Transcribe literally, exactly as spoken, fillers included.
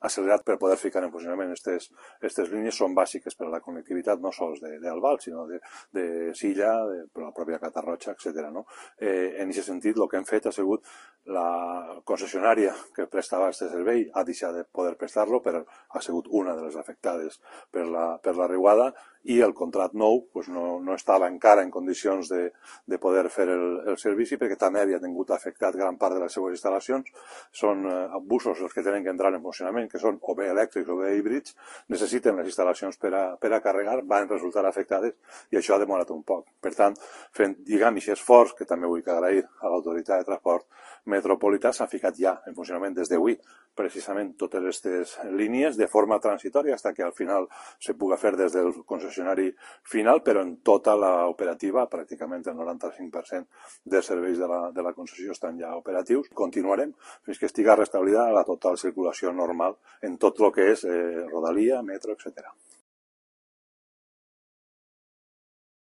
accelerat per poder ficar en funcionament aquestes línies. Són bàsiques per a la connectivitat no sols d'Albal, sinó de, de Silla, de, per la pròpia Catarroja, etcètera. No? Eh, en aquest sentit, el que hem fet ha sigut la concessionària que prestava aquest servei ha deixat de poder prestar-lo, però ha sigut una de les afectades per la, per la riuada, i el contracte nou pues, no, no estava encara en condicions de, de poder fer el, el servici, perquè també havia tingut afectat gran part de les seues instal·lacions. Són eh, busos els que tenen que entrar en funcionament, que són o bé elèctrics o bé híbrids, necessiten les instal·lacions per a, per a carregar, van resultar afectades i això ha demorat un poc. Per tant, fent, diguem, aquest esforç, que també vull agrair a l'autoritat de transport metropolità, s'ha ficat ja en funcionament des d'avui precisament totes aquestes línies de forma transitòria fins que al final se puga fer des del concessionari final, però en tota l'operativa, pràcticament el noranta-cinc per cent dels serveis de la, de la concessió estan ja operatius. Continuarem fins que estiga restablida la total circulació normal en tot el que és eh, Rodalia, metro, etcètera.